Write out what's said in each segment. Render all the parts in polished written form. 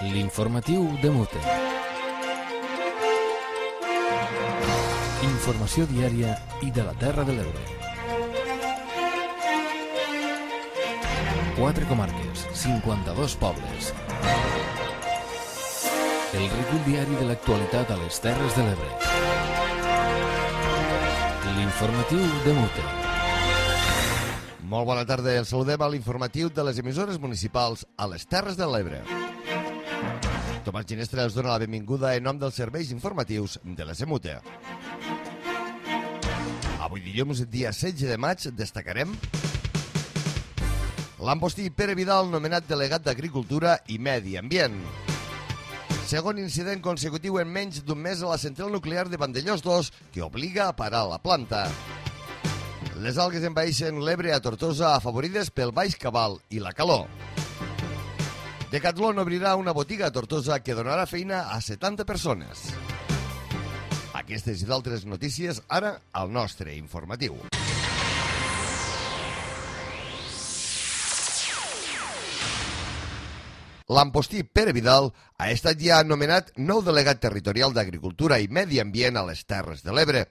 L'informatiu de Mute. Informació diària i de la Terra de l'Ebre. 4 comarques, 52 pobles. El recull diari de l'actualitat a les Terres de l'Ebre. L'informatiu de Mute. Molt bona tarda, el saludem a l'informatiu de les emissores municipals a les Terres de l'Ebre. Tomàs Ginestra els dona la benvinguda en nom dels serveis informatius de la Semute. Avui dilluns, dia 16 de maig, destacarem l'embostí Pere Vidal, nomenat delegat d'Agricultura i Medi Ambient. Segon incident consecutiu en menys d'un mes a la central nuclear de Vandellós 2, que obliga a parar la planta. Les algues envaeixen l'Ebre a Tortosa, afavorides pel baix cabal i la calor. Decathlon obrirà una botiga a Tortosa que donarà feina a 70 persones. Aquestes i d'altres notícies ara al nostre informatiu. L'embostí Pere Vidal ha estat ja nomenat nou delegat territorial d'Agricultura i Medi Ambient a les Terres de l'Ebre.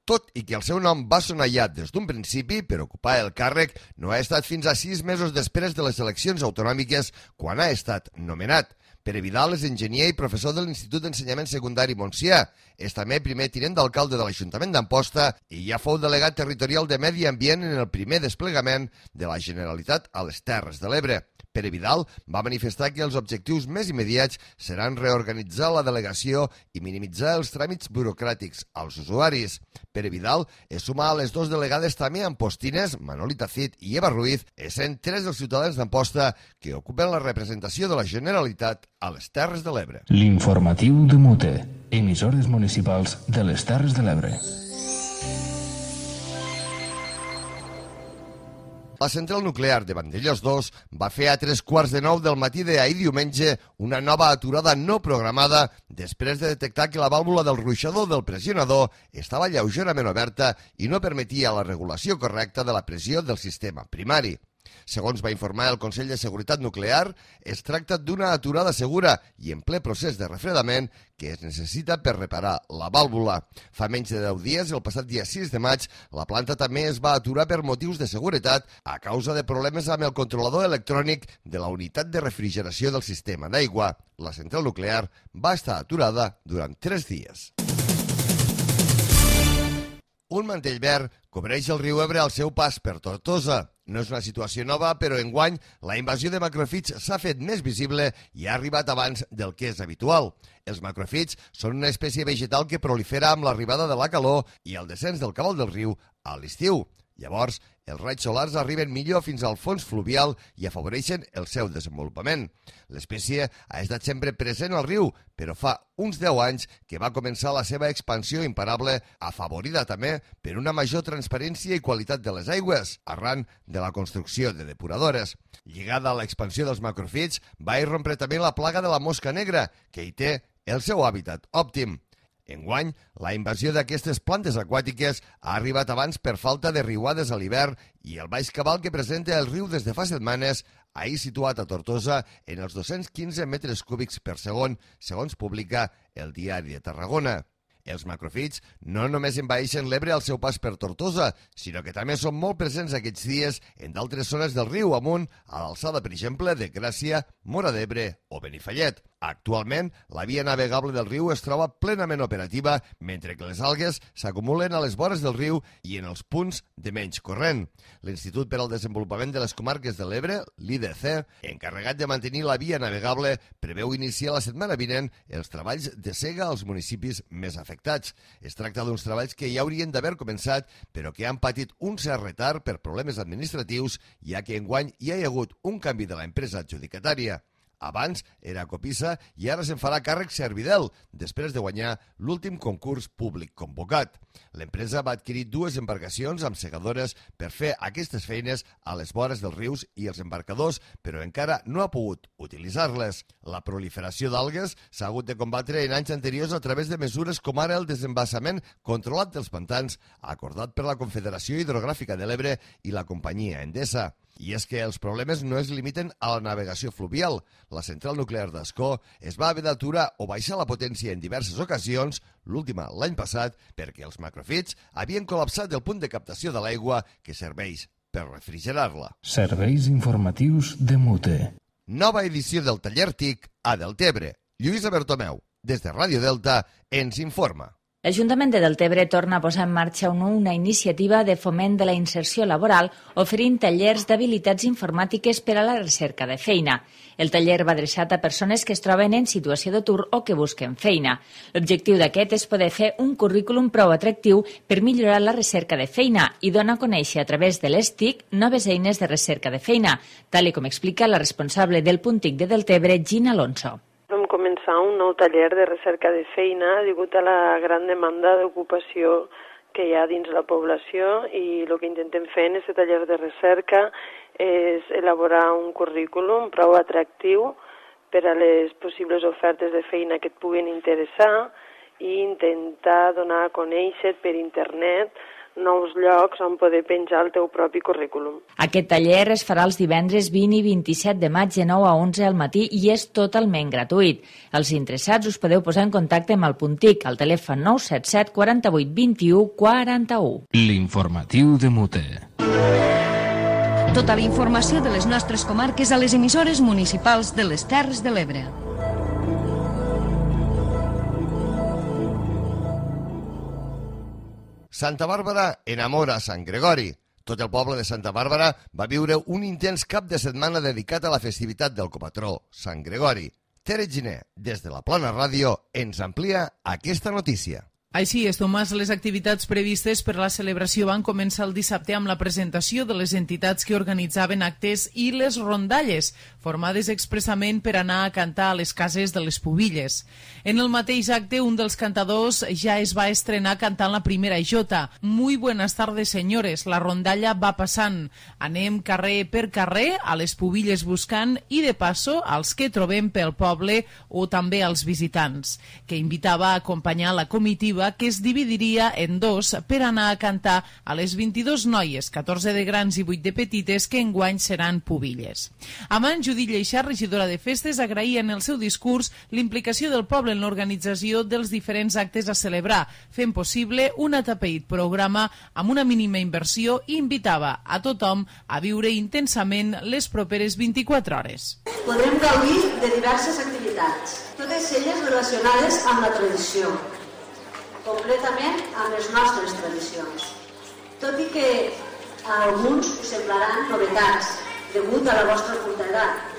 Tot i que el seu nom va sonar ja des d'un principi, per ocupar el càrrec no ha estat fins a 6 mesos després de les eleccions autonòmiques quan ha estat nomenat. Pere Vidal és enginyer i professor de l'Institut d'Ensenyament Secundari Montsià. És també primer tinent d'alcalde de l'Ajuntament d'Amposta i ja fou delegat territorial de Medi Ambient en el primer desplegament de la Generalitat a les Terres de l'Ebre. Pere Vidal va manifestar que els objectius més immediats seran reorganitzar la delegació i minimitzar els tràmits burocràtics als usuaris. Pere Vidal es suma a les dues delegades també ampostines, Manolita Cid i Eva Ruiz, essent 3 dels ciutadans d'Amposta que ocupen la representació de la Generalitat a les Terres de l'Ebre. L'informatiu de Mute, emissores municipals de les Terres de l'Ebre. La central nuclear de Vandellós 2 va fer a 3:15 del matí d'ahir diumenge una nova aturada no programada després de detectar que la vàlvula del ruixador del pressionador estava lleugerament oberta i no permetia la regulació correcta de la pressió del sistema primari. Segons va informar el Consell de Seguretat Nuclear, es tracta d'una aturada segura i en ple procés de refredament que es necessita per reparar la vàlvula. Fa menys de 10 dies, el passat dia 6 de maig, la planta també es va aturar per motius de seguretat a causa de problemes amb el controlador electrònic de la unitat de refrigeració del sistema d'aigua. La central nuclear va estar aturada durant 3 dies. Un mantell verd cobreix el riu Ebre al seu pas per Tortosa. No és una situació nova, però enguany la invasió de macròfits s'ha fet més visible i ha arribat abans del que és habitual. Els macròfits són una espècie vegetal que prolifera amb l'arribada de la calor i el descens del cabal del riu a l'estiu. Llavors, els raigs solars arriben millor fins al fons fluvial i afavoreixen el seu desenvolupament. L'espècie ha estat sempre present al riu, però fa uns 10 anys que va començar la seva expansió imparable, afavorida també per una major transparència i qualitat de les aigües, arran de la construcció de depuradores. Lligada a l'expansió dels macròfits, va irrompre també la plaga de la mosca negra, que hi té el seu hàbitat òptim. Enguany, la invasió d'aquestes plantes aquàtiques ha arribat abans per falta de riuades a l'hivern i el baix cabal que presenta el riu des de fa setmanes, ahir situat a Tortosa en els 215 metres cúbics per segon, segons publica el Diari de Tarragona. Els macròfits no només envaeixen l'Ebre al seu pas per Tortosa, sinó que també són molt presents aquests dies en d'altres zones del riu amunt, a l'alçada, per exemple, de Gràcia, Móra d'Ebre o Benifallet. Actualment, la via navegable del riu es troba plenament operativa, mentre que les algues s'acumulen a les vores del riu i en els punts de menys corrent. L'Institut per al Desenvolupament de les Comarques de l'Ebre, l'IDC, encarregat de mantenir la via navegable, preveu iniciar la setmana vinent els treballs de sega als municipis més afectats. Es tracta d'uns treballs que ja haurien d'haver començat, però que han patit un cert retard per problemes administratius, ja que enguany hi ha hagut un canvi de l'empresa adjudicatària. Abans era Copisa i ara se'n farà càrrec Servidel, després de guanyar l'últim concurs públic convocat. L'empresa va adquirir 2 embarcacions amb segadores per fer aquestes feines a les vores dels rius i els embarcadors, però encara no ha pogut utilitzar-les. La proliferació d'algues s'ha hagut de combatre en anys anteriors a través de mesures com ara el desembassament controlat dels pantans, acordat per la Confederació Hidrogràfica de l'Ebre i la companyia Endesa. I és que els problemes no es limiten a la navegació fluvial. La central nuclear d'Ascó es va haver d'aturar o baixar la potència en diverses ocasions, l'última l'any passat, perquè els macrofits havien col·lapsat el punt de captació de l'aigua que serveix per refrigerar-la. Serveis informatius de Mute. Nova edició del taller TIC a Deltebre. Lluïsa Bertomeu, des de Ràdio Delta, ens informa. L'Ajuntament de Deltebre torna a posar en marxa una iniciativa de foment de la inserció laboral oferint tallers d'habilitats informàtiques per a la recerca de feina. El taller va adreçat a persones que es troben en situació d'atur o que busquen feina. L'objectiu d'aquest és poder fer un currículum prou atractiu per millorar la recerca de feina i donar a conèixer a través de les TIC noves eines de recerca de feina, tal com explica la responsable del punt TIC de Deltebre, Gina Alonso. Vam començar un nou taller de recerca de feina degut a la gran demanda d'ocupació que hi ha dins la població i el que intentem fer en aquest taller de recerca és elaborar un currículum prou atractiu per a les possibles ofertes de feina que et puguin interessar i intentar donar a conèixer per internet nous llocs on poder penjar el teu propi currículum. Aquest taller es farà els divendres 20 i 27 de maig de 9 a 11 al matí i és totalment gratuït. Els interessats us podeu posar en contacte amb el punt TIC al telèfon 977 48 21 41. L'informatiu de Mute. Tota la informació de les nostres comarques a les emissores municipals de les Terres de l'Ebre. Santa Bàrbara enamora Sant Gregori. Tot el poble de Santa Bàrbara va viure un intens cap de setmana dedicat a la festivitat del copatró, Sant Gregori. Tere Giner, des de la Plana Ràdio, ens amplia aquesta notícia. Així és, Tomàs, les activitats previstes per la celebració van començar el dissabte amb la presentació de les entitats que organitzaven actes i les rondalles, formades expressament per anar a cantar a les cases de les pubilles. En el mateix acte, un dels cantadors ja es va estrenar cantant la primera jota. Muy buenas tardes, señores. La rondalla va passant. Anem carrer per carrer, a les pubilles buscant i, de passo, als que trobem pel poble o també als visitants, que invitava a acompanyar la comitiva que es dividiria en dos per anar a cantar a les 22 noies, 14 de grans i 8 de petites, que enguany seran pubilles. Amant Judit Lleixà, regidora de festes, agraïa en el seu discurs l'implicació del poble en l'organització dels diferents actes a celebrar, fent possible un atapeït programa amb una mínima inversió i invitava a tothom a viure intensament les properes 24 hores. Podrem gaudir de diverses activitats, totes elles relacionades amb la tradició, completament amb les nostres tradicions. Tot i que a alguns us semblaran novetats, degut a la vostra curta edat,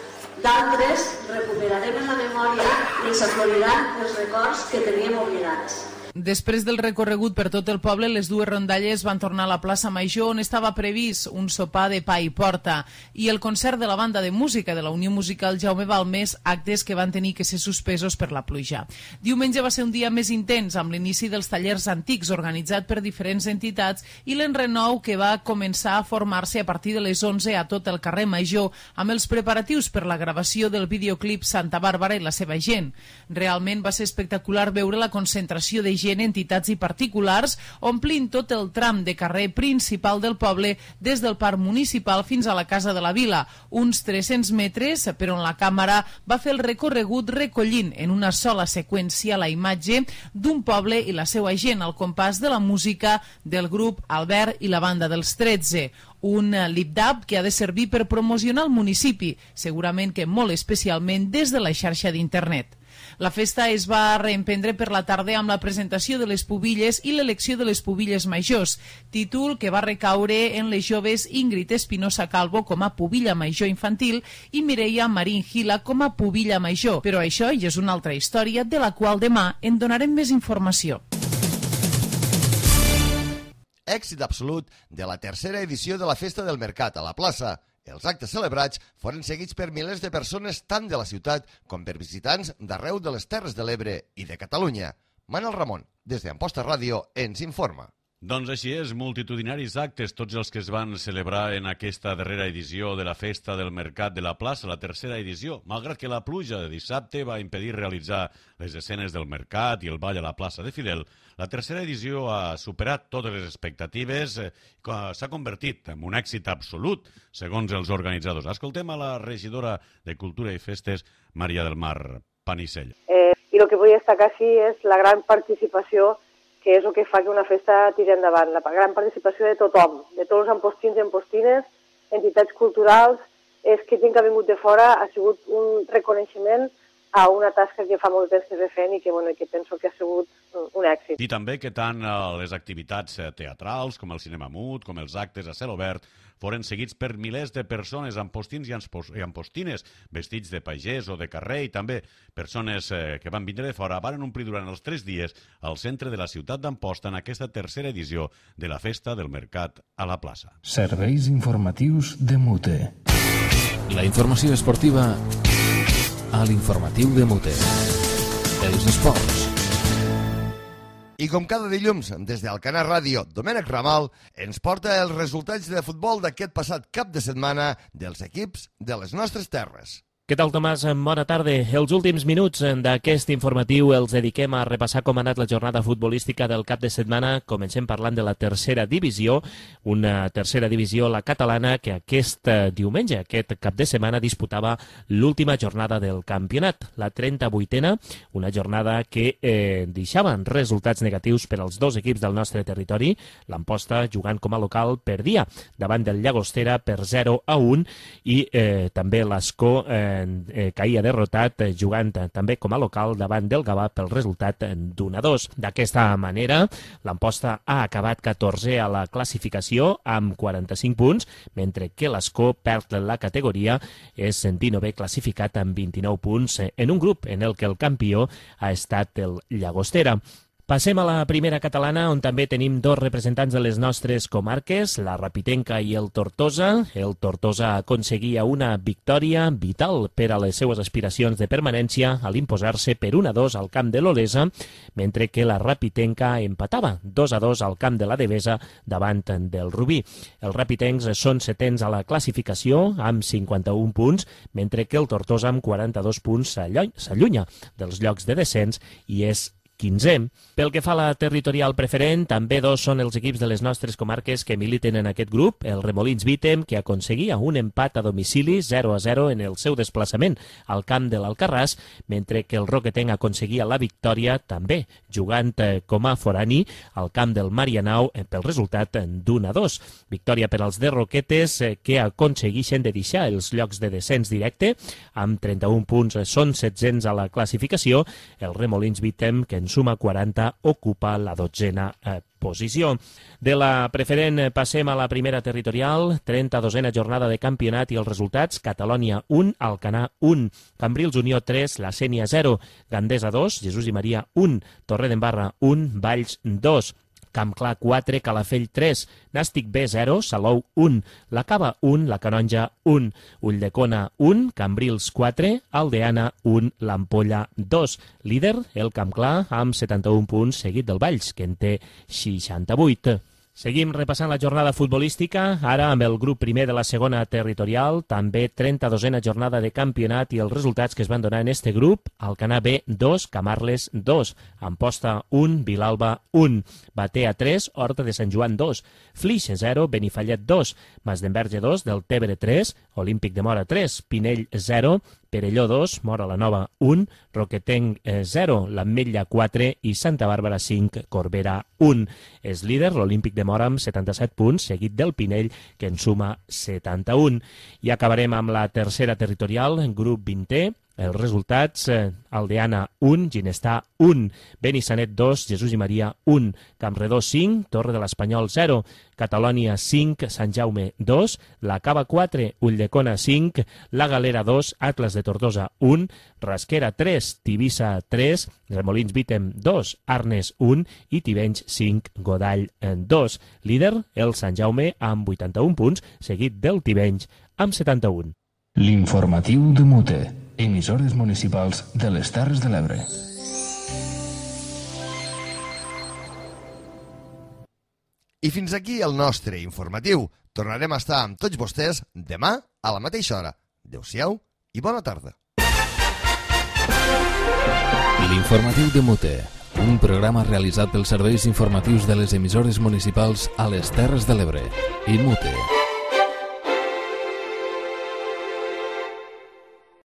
d'altres recuperarem en la memòria i ens afloriran els records que teníem oblidats. Després del recorregut per tot el poble, les dues rondalles van tornar a la plaça Major, on estava previst un sopar de pa i porta, i el concert de la banda de música de la Unió Musical Jaume Balmes, actes que van tenir que ser suspesos per la pluja. Diumenge va ser un dia més intens, amb l'inici dels tallers antics organitzat per diferents entitats i l'enrenou que va començar a formar-se a partir de les 11 a tot el carrer Major, amb els preparatius per la gravació del videoclip Santa Bàrbara i la seva gent. Realment va ser espectacular veure la concentració de gent, entitats i particulars, omplint tot el tram de carrer principal del poble des del parc municipal fins a la Casa de la Vila, uns 300 metres per on la càmera va fer el recorregut recollint en una sola seqüència la imatge d'un poble i la seva gent al compàs de la música del grup Albert i la banda dels 13. Un lip-dub que ha de servir per promocionar el municipi, segurament que molt especialment des de la xarxa d'internet. La festa es va reemprendre per la tarda amb la presentació de les pubilles i l'elecció de les pubilles majors, títol que va recaure en les joves Ingrid Espinosa Calvo com a pubilla major infantil i Mireia Marín Gila com a pubilla major. Però això ja és una altra història de la qual demà en donarem més informació. Èxit absolut de la tercera edició de la Festa del Mercat a la plaça. Els actes celebrats foren seguits per milers de persones tant de la ciutat com per visitants d'arreu de les Terres de l'Ebre i de Catalunya. Manel Ramon, des d'Amposta Ràdio, ens informa. Doncs així és, multitudinaris actes, tots els que es van celebrar en aquesta darrera edició de la Festa del Mercat de la Plaça, la tercera edició, malgrat que la pluja de dissabte va impedir realitzar les escenes del mercat i el ball a la plaça de Fidel. La tercera edició ha superat totes les expectatives, s'ha convertit en un èxit absolut, segons els organitzadors. Escoltem a la regidora de Cultura i Festes, Maria del Mar Panicell. I el que vull destacar sí és la gran participació, que és el que fa que una festa tiri endavant. La gran participació de tothom, de tots els empostins i empostines, entitats culturals, és que gent que ha vingut de fora ha sigut un reconeixement a una tasca que fa molt temps que es fent i que penso que ha sigut un èxit. I també que tant les activitats teatrals com el cinema mut, com els actes a cel obert, foren seguits per milers de persones, empostins i empostines, vestits de pagès o de carrer, i també persones que van vindre de fora van omplir durant els 3 dies al centre de la ciutat d'Amposta en aquesta tercera edició de la Festa del Mercat a la plaça. Serveis informatius de Mute. La informació esportiva a l'informatiu de Mute. Els esports. I com cada dilluns, des d'Alcanar Ràdio, Domènec Ramal ens porta els resultats de futbol d'aquest passat cap de setmana dels equips de les nostres terres. Què tal, Tomàs? Bona tarda. Els últims minuts d'aquest informatiu els dediquem a repassar com ha anat la jornada futbolística del cap de setmana. Comencem parlant de la tercera divisió, una tercera divisió, la catalana, que aquest diumenge, aquest cap de setmana, disputava l'última jornada del campionat, la 38a, una jornada que deixava resultats negatius per als dos equips del nostre territori. L'Amposta, jugant com a local, perdia davant del Llagostera per 0-1 i també l'Escó caïa derrotat jugant també com a local davant del Gavà pel resultat d'1-2. D'aquesta manera, l'Amposta ha acabat 14è a la classificació amb 45 punts, mentre que l'Escó perd la categoria, és 19è classificat amb 29 punts en un grup en el que el campió ha estat el Llagostera. Passem a la primera catalana, on també tenim dos representants de les nostres comarques, la Rapitenca i el Tortosa. El Tortosa aconseguia una victòria vital per a les seues aspiracions de permanència a l'imposar-se per 1-2 al camp de l'Olesa, mentre que la Rapitenca empatava 2-2 al camp de la Devesa davant del Rubí. Els rapitencs són setens a la classificació amb 51 punts, mentre que el Tortosa amb 42 punts s'allunya dels llocs de descens i és 15è. Pel que fa a la territorial preferent, també dos són els equips de les nostres comarques que militen en aquest grup. El Remolins Vítem, que aconseguia un empat a domicili 0-0 en el seu desplaçament al camp de l'Alcarràs, mentre que el Roquetenc aconseguia la victòria també jugant com a forani al camp del Marianao pel resultat d'1-2. Victòria per als de Roquetes, que aconsegueixen de deixar els llocs de descens directe. Amb 31 punts són 700 a la classificació. El Remolins Vítem, que en suma 40, ocupa la 12a posició. De la preferent passem a la primera territorial, 32a jornada de campionat i els resultats: Catalònia 1, Alcanar 1, Cambrils Unió 3, La Sénia 0, Gandesa 2, Jesús i Maria 1, Torredembarra 1, Valls 2, Campclar 4, Calafell 3, Nàstic B 0, Salou 1, La Cava 1, La Canonja 1, Ulldecona 1, Cambrils 4, Aldeana 1, l'Ampolla 2. Líder, el Campclar, amb 71 punts, seguit del Valls, que en té 68. Seguim repassant la jornada futbolística, ara amb el grup primer de la segona territorial, també 32a jornada de campionat i els resultats que es van donar en este grup: Alcanar B 2, Camarles 2, Amposta 1, Vilalba 1, Batea 3, Horta de Sant Joan 2, Flix 0, Benifallet 2, Masdenverge 2, Deltebre 3, Olímpic de Mora 3, Pinell 0, Perelló 2, Mora la Nova 1, Roquetenc 0, l'Ametlla 4 i Santa Bàrbara 5, Corbera 1. És líder l'Olímpic de Mora amb 77 punts, seguit del Pinell, que en suma 71. I acabarem amb la tercera territorial, grup 20è. Els resultats: Aldeana 1, Ginestar 1, Benissanet 2, Jesús i Maria 1, Campredó 5, Torre de l'Espanyol 0, Catalònia 5, Sant Jaume 2, La Cava 4, Ulldecona 5, La Galera 2, Atlas de Tortosa 1, Rasquera 3, Tivissa 3, Remolins Vítem 2, Arnes 1 i Tivenys 5, Godall 2. Líder, el Sant Jaume amb 81 punts, seguit del Tivenys amb 71. L'informatiu de Mute, emissores municipals de les Terres de l'Ebre. I fins aquí el nostre informatiu. Tornarem a estar amb tots vostès demà a la mateixa hora. Adéu-siau i bona tarda. L'Informatiu de Mute, un programa realitzat pels serveis informatius de les emissores municipals a les Terres de l'Ebre i Mute.